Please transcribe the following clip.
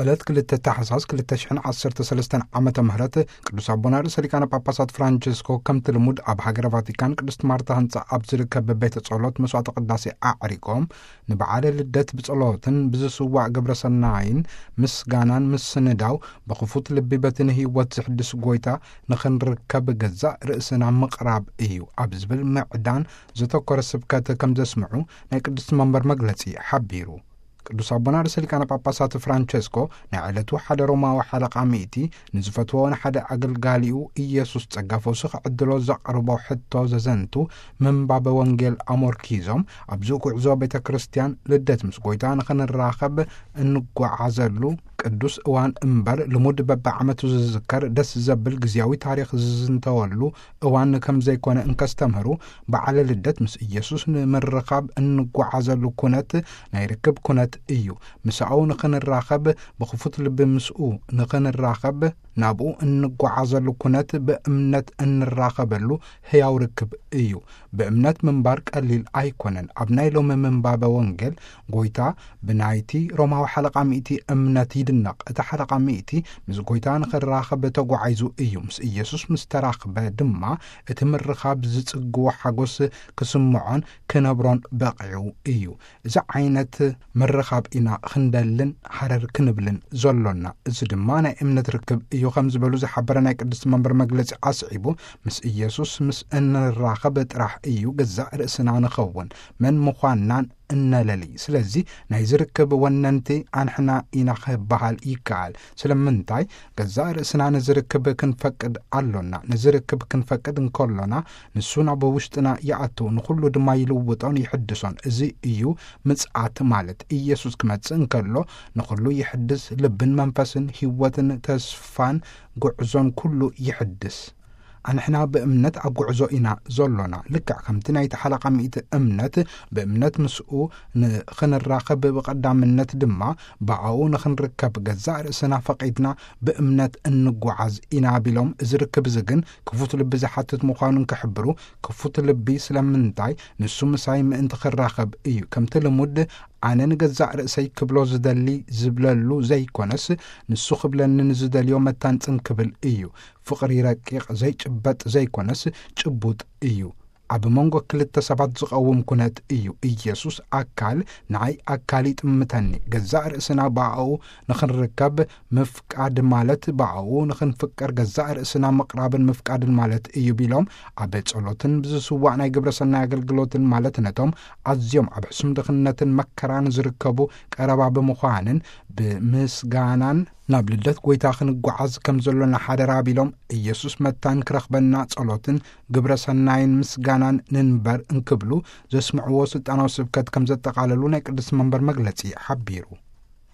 ዕለት ክልተ ታሕሳስ ክልተ ሽሕን ዓሰርተ ሰለስተን ዓመተ ምህረት ቅዱስ ኣቦና ርእሰ ሊቃነ ጳጳሳት ፍራንቸስኮ ከምቲ ልሙድ ኣብ ሃገረ ቫቲካን ቅድስት ማርታ ህንጻ ኣብ ዝርከብ ቤተ ጸሎት መስዋዕተ ቅዳሴ ኣዕሪጎም ንበዓለ ልደት ብጸሎትን ብዝስዋዕ ግብረ ሰናይን ምስጋናን ምስንዳው ብኽፉት ልቢ በቲ ንህይወት ዝሕድስ ጎይታ ንኽንርከብ ገዛእ ርእስና ምቕራብ እዩ ኣብ ዝብል ምዕዳን ዘተኮረ ስብከት ከም ዘስምዑ ናይ ቅድስት መንበር መግለጺ ሓቢሩ። ቅዱስ ኣቦና ርእሰ ሊቃነ ጳጳሳት ፍራንቸስኮ ናይ ዕለቱ ሓደ ሮማዊ ሓለቓ ሚእቲ ንዝፈትዎ ንሓደ ኣገልጋሊኡ ኢየሱስ ጸጋ ፈውሲ ክዕድሎ ዘቕርቦ ሕቶ ዘዘንቱ ምንባበ ወንጌል ኣሞርኪዞም ኣብዚ ጉዕዞ ቤተ ክርስቲያን ልደት ምስ ጎይታ ንኽንራኸብ እንጓዓዘሉ ቅዱስ እዋን እምበር ልሙድ በብዓመቱ ዝዝከር ደስ ዘብል ግዜያዊ ታሪኽ ዝዝንተወሉ እዋን ከም ዘይኮነ እንከስተምህሩ በዓለ ልደት ምስ ኢየሱስ ንምርኻብ እንጓዓዘሉ ኩነት ናይ ርክብ ኩነት እዩ። ምስኣው ንኽንራኸብ ብኽፉት ልቢ ምስኡ ንኽንራኸብ ናብኡ እንጓዓዘሉ ኩነት ብእምነት እንራኸበሉ ህያው ርክብ እዩ። ብእምነት ምንባር ቀሊል ኣይኮነን። ኣብ ናይ ሎሚ ምንባበ ወንጌል ጎይታ ብናይቲ ሮማዊ ሓለቓ ሚእቲ እምነት ይድነቕ። እቲ ሓለቓ ሚእቲ ምስ ጎይታ ንኽራኸብ ተጓዒዙ እዩ። ምስ ኢየሱስ ምስ ተራኽበ ድማ እቲ ምርኻብ ዝጽግዎ ሓጎስ ክስምዖን ክነብሮን በቒዑ እዩ። እዚ ዓይነት ምርኻብ ኢና ክንደልን ሃረር ክንብልን ዘሎና። እዚ ድማ ናይ እምነት ርክብ እዩ ከም ዝበሉ ዝሓበረ ናይ ቅድስቲ መንበር መግለጺ ኣስዒቡ፣ ምስ ኢየሱስ ምስ እንራኸብ ጥራሕ እዩ ገዛእ ርእስና ንኸውን። መን ምዃንናን እነለሊ። ስለዚ ናይ ዝርክብ ወነንቲ ኣንሕና ኢና ክበሃል ይከኣል። ስለምንታይ ገዛእ ርእስና ንዝርክብ ክንፈቅድ ኣሎና። ንዝርክብ ክንፈቅድ እንከሎና ንሱ ናብ ውሽጥና ይኣቱ፣ ንኹሉ ድማ ይልውጦን ይሕድሶን። እዚ እዩ ምጽኣት ማለት። ኢየሱስ ክመጽእ እንከሎ ንኹሉ ይሕድስ፣ ልብን መንፈስን ህይወትን ተስፋን ጉዕዞን ኩሉ ይሕድስ። ኣንሕና ብእምነት ኣብ ጉዕዞ ኢና ዘሎና። ልክዕ ከምቲ ናይቲ ሓለቓ ሚእቲ እምነት ብእምነት ምስኡ ንኽንራኸብ ብቐዳምነት ድማ ብኣኡ ንኽንርከብ ገዛእ ርእስና ፈቒድና ብእምነት እንጓዓዝ ኢና ቢሎም፣ እዚ ርክብ እዚ ግን ክፉት ልቢ ዝሓትት ምዃኑ እንክሕብሩ፣ ክፉት ልቢ ስለምንታይ ንሱ ምሳይ ምእንቲ ክራኸብ እዩ። ከምቲ ልሙድ ኣነ ንገዛእ ርእሰይ ክብሎ ዝደሊ ዝብለሉ ዘይኮነስ ንሱ ክብለኒ ንዝደልዮ መታን ጽን ክብል እዩ። ፍቕሪ ረቂቕ ዘይጭበጥ ዘይኮነስ ጭቡጥ እዩ። ኣብ መንጎ ክልተ ሰባት ዝቐውም ኩነት እዩ። ኢየሱስ ኣካል ንዓይ ኣካል ይጥምተኒ። ገዛእ ርእስና ብኣኡ ንኽንርከብ ምፍቃድ ማለት ብኣኡ ንኽንፍቀር ገዛእ ርእስና ምቕራብን ምፍቃድን ማለት እዩ ቢሎም ኣብ ጸሎትን ብዝስዋዕ ናይ ግብረ ሰናይ ኣገልግሎትን ማለት ነቶም ኣዝዮም ኣብ ሕሱም ድኽነትን መከራን ዝርከቡ ቀረባ ብምዃንን ብምስጋናን ናብ ልደት ጎይታ ክንጓዓዝ ከም ዘሎና ሓደራ ቢሎም ኢየሱስ መታን ክረኽበና ጸሎትን ግብረ ሰናይን ምስጋናን ንንበር እንክብሉ ዘስምዕዎ ስልጣናዊ ስብከት ከም ዘጠቓለሉ ናይ ቅድስቲ መንበር መግለጺ ሓቢሩ።